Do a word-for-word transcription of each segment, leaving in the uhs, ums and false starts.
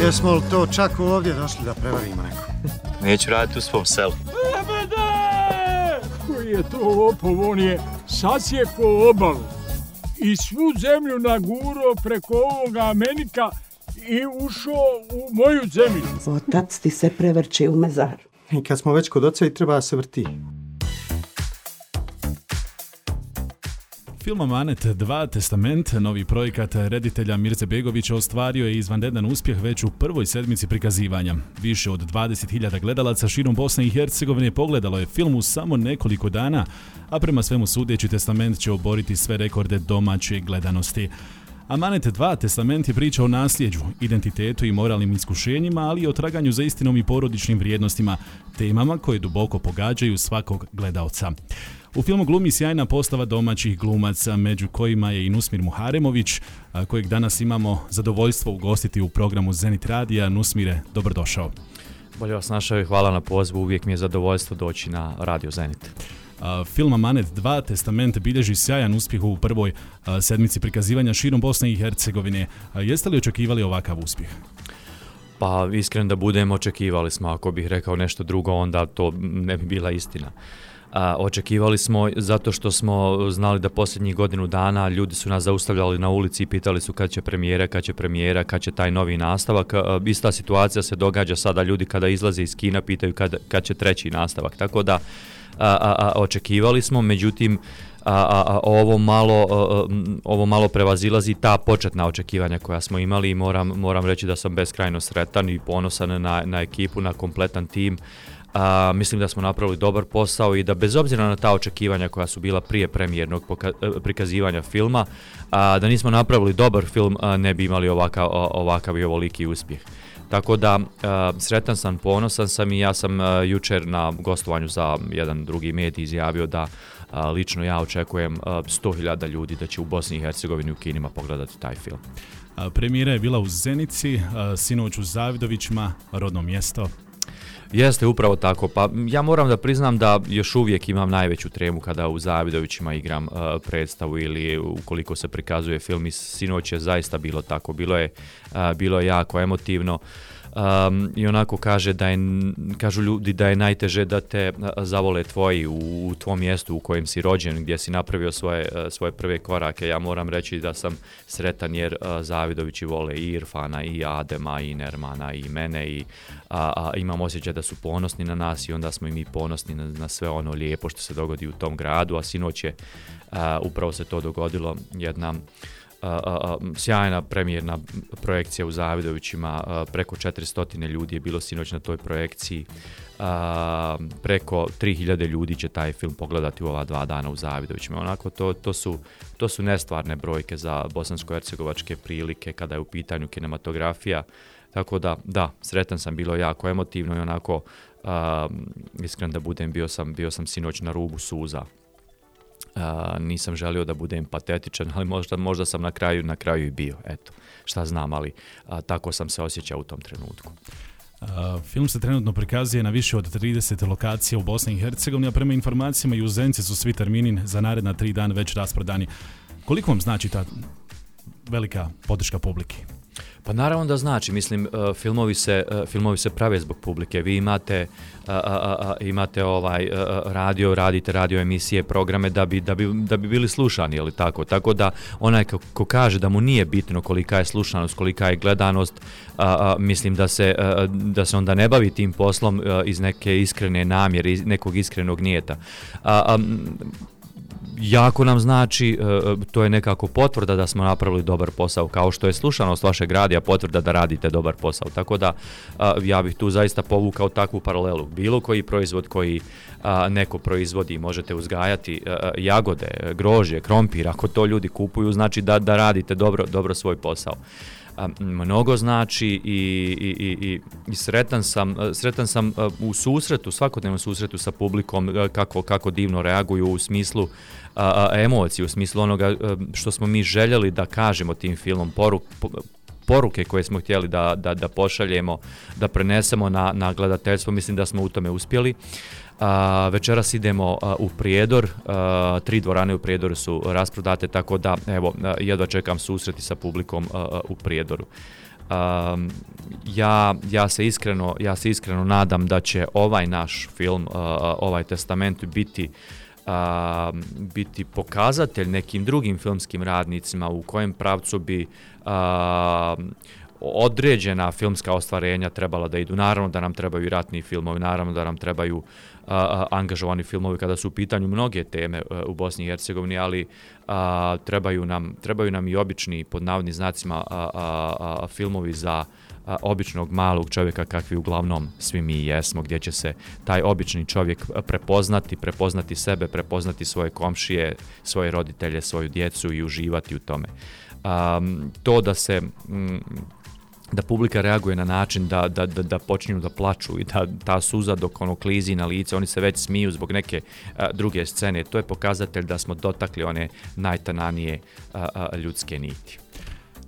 Jesmo li to čak ovdje došli da prevarimo neko? Neću raditi u svom selu. Lebede! Koji je to lopov, on je sasjeko obalu i svu zemlju naguro preko ovoga Amenika i ušao u moju zemlju. Otac ti se prevrće u mezaru. I kad smo već kod oca i treba da se vrti. Film Amanet dva Testament, novi projekat reditelja Mirze Begovića, ostvario je izvanredan uspjeh već u prvoj sedmici prikazivanja. Više od dvadeset hiljada gledalaca širom Bosne i Hercegovine pogledalo je film u samo nekoliko dana, a prema svemu sudeći Testament će oboriti sve rekorde domaće gledanosti. Amanet dva Testament je priča o nasljeđu, identitetu i moralnim iskušenjima, ali i o traganju za istinom i porodičnim vrijednostima, temama koje duboko pogađaju svakog gledaoca. U filmu glumi sjajna postava domaćih glumaca, među kojima je i Nusmir Muharemović, kojeg danas imamo zadovoljstvo ugostiti u programu Zenit Radija. Nusmire, dobrodošao. Bolje vas našao i hvala na pozivu, uvijek mi je zadovoljstvo doći na Radio Zenit. Film Amanet dva Testament bilježi sjajan uspjeh u prvoj sedmici prikazivanja širom Bosne i Hercegovine. Jeste li očekivali ovakav uspjeh? Pa iskren da budem, očekivali smo. Ako bih rekao nešto drugo, onda to ne bi bila istina. A, očekivali smo zato što smo znali da posljednjih godinu dana ljudi su nas zaustavljali na ulici i pitali su kad će premijera, kad će premijera, kad će taj novi nastavak. A, ista situacija se događa sada, ljudi kada izlaze iz kina pitaju kad, kad će treći nastavak. Tako da a, a, a, očekivali smo, međutim a, a, a, ovo, malo, a, ovo malo prevazilazi ta početna očekivanja koja smo imali i moram, moram reći da sam beskrajno sretan i ponosan na, na ekipu, na kompletan tim. A, mislim da smo napravili dobar posao i da bez obzira na ta očekivanja koja su bila prije premijernog poka- prikazivanja filma, a, da nismo napravili dobar film, a, ne bi imali ovakav, ovakav i ovoliki uspjeh. Tako da a, sretan sam, ponosan sam i ja sam a, jučer na gostovanju za jedan drugi medij izjavio da a, lično ja očekujem a, sto hiljada ljudi da će u Bosni i Hercegovini u kinima pogledati taj film. A, premijera je bila u Zenici, a, sinoć u Zavidovićima, rodno mjesto. Jeste, upravo tako. Pa ja moram da priznam da još uvijek imam najveću tremu kada u Zavidovićima igram uh, predstavu ili ukoliko se prikazuje film. I sinoć je zaista bilo tako. Bilo je, uh, bilo je jako emotivno. Um, I onako kaže da je, kažu ljudi da je najteže da te zavole tvoji u, u tvom mjestu u kojem si rođen, gdje si napravio svoje, svoje prve korake. Ja moram reći da sam sretan jer uh, Zavidovići vole i Irfana, i Adema, i Nermana, i mene i a, a, imam osjećaj da su ponosni na nas i onda smo i mi ponosni na, na sve ono lijepo što se dogodi u tom gradu, a sinoć je uh, upravo se to dogodilo, jedna Uh, uh, sjajna premijerna projekcija u Zavidovićima, uh, preko četiristo ljudi je bilo sinoć na toj projekciji, uh, preko tri hiljade ljudi će taj film pogledati u ova dva dana u Zavidovićima. Onako, to, to, su, to su nestvarne brojke za bosansko-hercegovačke prilike kada je u pitanju kinematografija, tako da, da, sretan sam, bilo jako emotivno i onako, uh, iskren da budem, bio sam, bio sam sinoć na rubu suza. Uh, nisam želio da budem patetičan, ali možda, možda sam na kraju, na kraju i bio, eto, šta znam, ali uh, tako sam se osjećao u tom trenutku. Uh, film se trenutno prikazuje na više od trideset lokacija u Bosni i Hercegovini, a prema informacijama i u Zenici su svi termini za naredna tri dana već rasprodani. Koliko vam znači ta velika podrška publike? Pa naravno da znači, mislim, uh, filmovi, se, uh, filmovi se prave zbog publike. Vi imate, uh, uh, uh, imate ovaj, uh, radio, radite radio emisije, programe da bi, da bi, da bi bili slušani, ili tako? Tako da onaj ko, ko kaže da mu nije bitno kolika je slušanost, kolika je gledanost, uh, uh, mislim da se, uh, da se onda ne bavi tim poslom uh, iz neke iskrene namjere, iz nekog iskrenog nijeta. Uh, um, Jako nam znači, to je nekako potvrda da smo napravili dobar posao, kao što je slušanost vašeg radija potvrda da radite dobar posao. Tako da ja bih tu zaista povukao takvu paralelu. Bilo koji proizvod koji neko proizvodi, možete uzgajati jagode, grožđe, krompir, ako to ljudi kupuju, znači da, da radite dobro, dobro svoj posao. Mnogo znači i, i, i, i sretan sam, sretan sam u susretu, svakodnevnom susretu sa publikom, kako, kako divno reaguju u smislu a, a, emocije, u smislu onoga što smo mi željeli da kažemo tim filmom, poruk, poruke koje smo htjeli da, da, da pošaljemo, da prenesemo na, na gledateljstvo, mislim da smo u tome uspjeli. A, večeras idemo a, u Prijedor, a, tri dvorane u Prijedoru su rasprodate, tako da evo, jedva čekam susreti sa publikom a, a, u Prijedoru. Um, ja, ja, se iskreno, ja se iskreno nadam da će ovaj naš film, uh, ovaj testament biti Uh, biti pokazatelj nekim drugim filmskim radnicima u kojem pravcu bi uh, određena filmska ostvarenja trebala da idu. Naravno da nam trebaju i ratni filmovi, naravno da nam trebaju uh, angažovani filmovi kada su u pitanju mnoge teme uh, u Bosni i Hercegovini, ali uh, trebaju, nam, trebaju nam i obični, pod navodnim znacima, uh, uh, uh, filmovi za a, običnog malog čovjeka kakvi uglavnom svi mi jesmo, gdje će se taj obični čovjek prepoznati, prepoznati sebe, prepoznati svoje komšije, svoje roditelje, svoju djecu i uživati u tome. Um, to da se mm, da publika reaguje na način da, da, da, da počinju da plaču i da ta suza dok ono klizi na lice, oni se već smiju zbog neke a, druge scene, to je pokazatelj da smo dotakli one najtananije a, a, ljudske niti.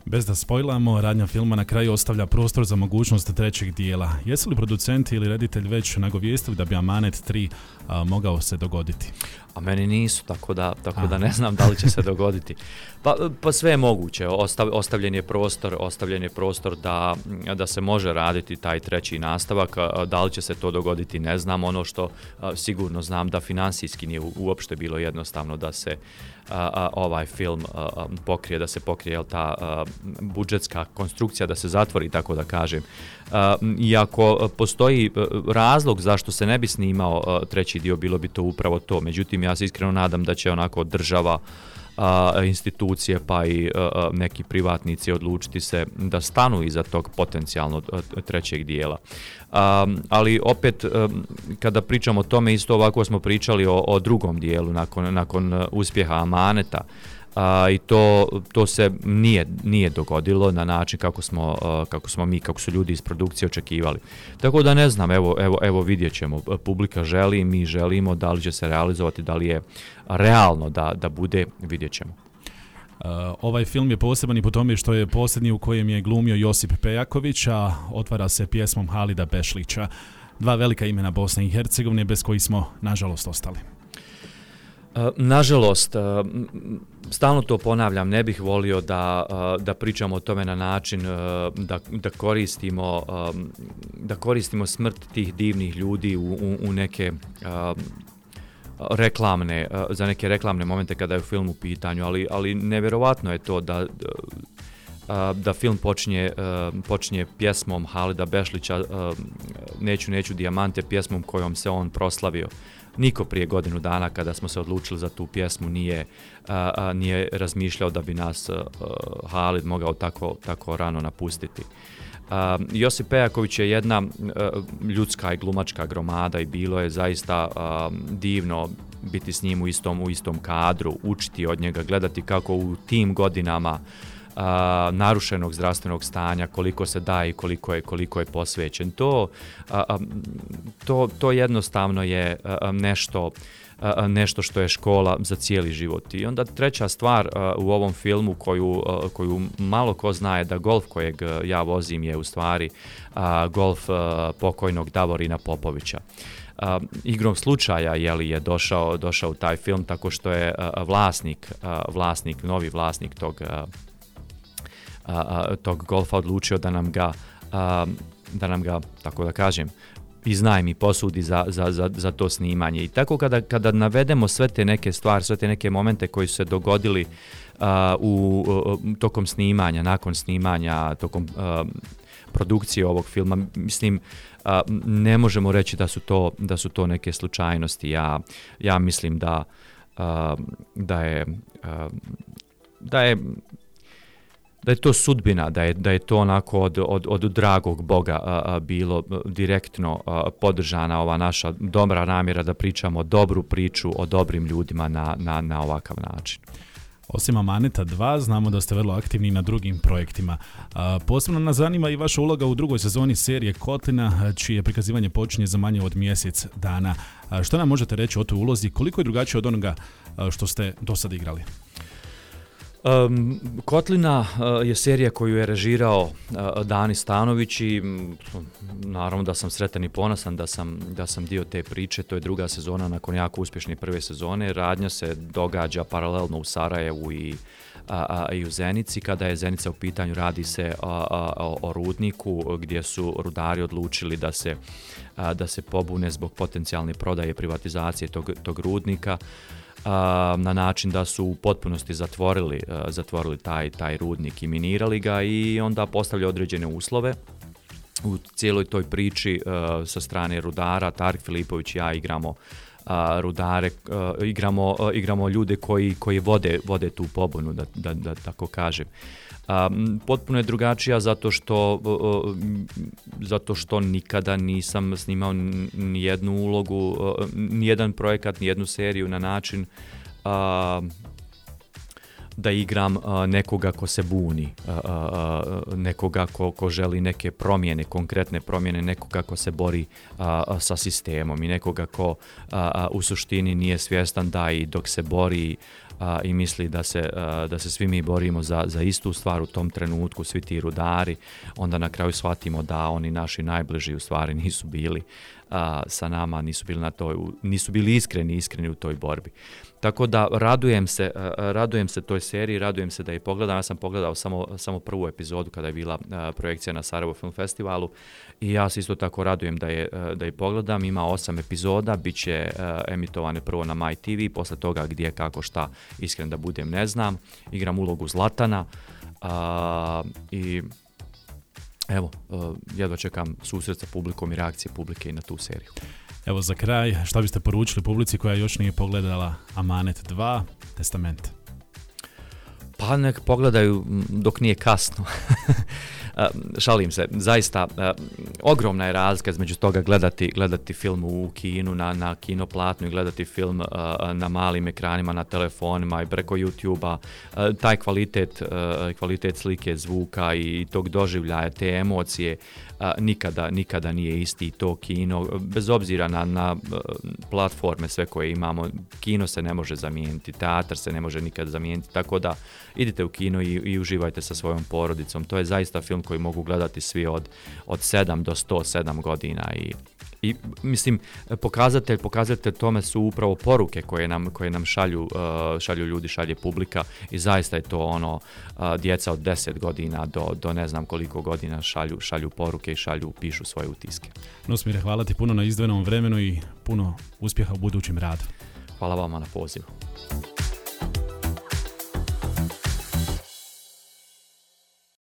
Bez da spojlamo, radnja filma na kraju ostavlja prostor za mogućnost trećeg dijela. Jesu li producenti ili reditelj već nagovijestili da bi Amanet tri a, mogao se dogoditi? A meni nisu, tako da, tako da ne znam da li će se dogoditi. Pa, pa sve je moguće, Ostav, ostavljen je prostor, ostavljen je prostor da, da se može raditi taj treći nastavak, da li će se to dogoditi ne znam, ono što a, sigurno znam da finansijski nije uopšte bilo jednostavno da se a, a, ovaj film a, a, pokrije, da se pokrije jel, ta a, budžetska konstrukcija, da se zatvori, tako da kažem. A, iako postoji razlog zašto se ne bi snimao a, treći dio, bilo bi to upravo to, međutim ja se iskreno nadam da će onako država, a, institucije pa i a, neki privatnici odlučiti se da stanu iza tog potencijalno trećeg dijela. A, ali opet a, kada pričamo o tome, isto ovako smo pričali o, o drugom dijelu nakon, nakon uspjeha Amaneta. A, i to, to se nije, nije dogodilo na način kako smo, a, kako smo mi, kako su ljudi iz produkcije očekivali. Tako da ne znam, evo, evo, evo vidjet ćemo. Publika želi, mi želimo, da li će se realizovati, da li je realno da, da bude, vidjet ćemo. Uh, ovaj film je poseban i po tome što je posljednji u kojem je glumio Josip Pejaković, a otvara se pjesmom Halida Bešlića. Dva velika imena Bosne i Hercegovine bez kojih smo, nažalost, ostali. Nažalost, stalno to ponavljam, ne bih volio da, da pričamo o tome na način da, da, koristimo, da koristimo smrt tih divnih ljudi u, u, u neke reklamne, za neke reklamne momente kada je film u pitanju, ali, ali nevjerovatno je to da, da film počinje, počinje pjesmom Halida Bešlića, Neću, neću dijamante, pjesmom kojom se on proslavio. Niko prije godinu dana kada smo se odlučili za tu pjesmu nije, a, a, nije razmišljao da bi nas a, Halid mogao tako, tako rano napustiti. A, Josip Pejaković je jedna a, ljudska i glumačka gromada i bilo je zaista a, divno biti s njim u istom, u istom kadru, učiti od njega, gledati kako u tim godinama Uh, narušenog zdravstvenog stanja, koliko se daje i koliko je, koliko je posvećen. To, uh, to, to jednostavno je uh, nešto, uh, nešto što je škola za cijeli život. I onda treća stvar uh, u ovom filmu koju, uh, koju malo ko zna je da golf kojeg ja vozim je u stvari uh, golf uh, pokojnog Davorina Popovića. Uh, igrom slučaja je li je došao, došao u taj film tako što je uh, vlasnik, uh, vlasnik, novi vlasnik tog uh, A, a, tog golfa odlučio da nam ga, a, da nam ga, tako da kažem, iznajmi, posudi za, za, za, za to snimanje. I tako kada, kada navedemo sve te neke stvari, sve te neke momente koji su se dogodili a, u, u tokom snimanja, nakon snimanja, tokom a, produkcije ovog filma, mislim, a, ne možemo reći da su to, da su to neke slučajnosti. Ja, ja mislim da, a, da je a, da je da je to sudbina, da je, da je to onako od, od, od dragog Boga a, a, bilo direktno a, podržana ova naša dobra namjera da pričamo dobru priču o dobrim ljudima na, na, na ovakav način. Osim Amaneta dva, znamo da ste vrlo aktivni na drugim projektima. A, posebno nas zanima i vaša uloga u drugoj sezoni serije Kotlina, čije prikazivanje počinje za manje od mjesec dana. A, što nam možete reći o toj ulozi? Koliko je drugačije od onoga a, što ste do sad igrali? Um, Kotlina uh, je serija koju je režirao uh, Dani Stanović i um, naravno da sam sretan i ponosan da sam, da sam dio te priče. To je druga sezona nakon jako uspješne prve sezone. Radnja se događa paralelno u Sarajevu i a, i u Zenici. Kada je Zenica u pitanju, radi se a, a, o, o rudniku gdje su rudari odlučili da se, a, da se pobune zbog potencijalne prodaje privatizacije tog, tog rudnika, a, na način da su u potpunosti zatvorili, a, zatvorili taj, taj rudnik i minirali ga i onda postavljaju određene uslove. U cijeloj toj priči uh, sa strane rudara, Tarik Filipović i ja igramo uh, rudare, uh, igramo, uh, igramo ljude koji, koji vode, vode tu pobunu, da, da, da tako kažem. Um, potpuno je drugačija zato što, uh, zato što nikada nisam snimao ni jednu ulogu, uh, ni jedan projekat, ni jednu seriju na način uh, da igram uh, nekoga ko se buni, uh, uh, nekoga ko, ko želi neke promjene, konkretne promjene, nekoga ko se bori uh, sa sistemom i nekoga ko uh, u suštini nije svjestan da i dok se bori uh, i misli da se, uh, da se svi mi borimo za, za istu stvar u tom trenutku, svi ti rudari, onda na kraju shvatimo da oni naši najbliži u stvari nisu bili uh, sa nama, nisu bili, na toj, nisu bili iskreni, iskreni u toj borbi. Tako da radujem se, uh, radujem se toj seriji, radujem se da je pogledam. Ja sam pogledao samo, samo prvu epizodu kada je bila uh, projekcija na Sarajevo Film Festivalu i ja se isto tako radujem da je, uh, da je pogledam. Ima osam epizoda, bit će uh, emitovane prvo na My T V, posle toga gdje, kako, šta, iskren da budem ne znam. Igram ulogu Zlatana uh, i evo, uh, jedva čekam susret sa publikom i reakcije publike i na tu seriju. Evo za kraj, šta biste poručili publici koja još nije pogledala Amanet dva, Testament? Pa nek pogledaju dok nije kasno. Šalim se, zaista ogromna je razlika između toga gledati, gledati film u kinu, na, na kinoplatnu i gledati film na malim ekranima, na telefonima i preko YouTube-a. Taj kvalitet, kvalitet slike, zvuka i tog doživljaja, te emocije nikada, nikada nije isti. To kino, bez obzira na, na platforme sve koje imamo, kino se ne može zamijeniti, teatar se ne može nikad zamijeniti, tako da idite u kino i, i uživajte sa svojom porodicom. To je zaista film koji mogu gledati svi od, od sedam do sto sedam godina i, i mislim, pokazatelj, pokazatelj tome su upravo poruke koje nam, koje nam šalju, uh, šalju ljudi, šalje publika i zaista je to ono, uh, djeca od deset godina do, do ne znam koliko godina šalju, šalju poruke i šalju, pišu svoje utiske. Nosmire, hvala ti puno na izdvojenom vremenu i puno uspjeha u budućim radu. Hvala vama na pozivu.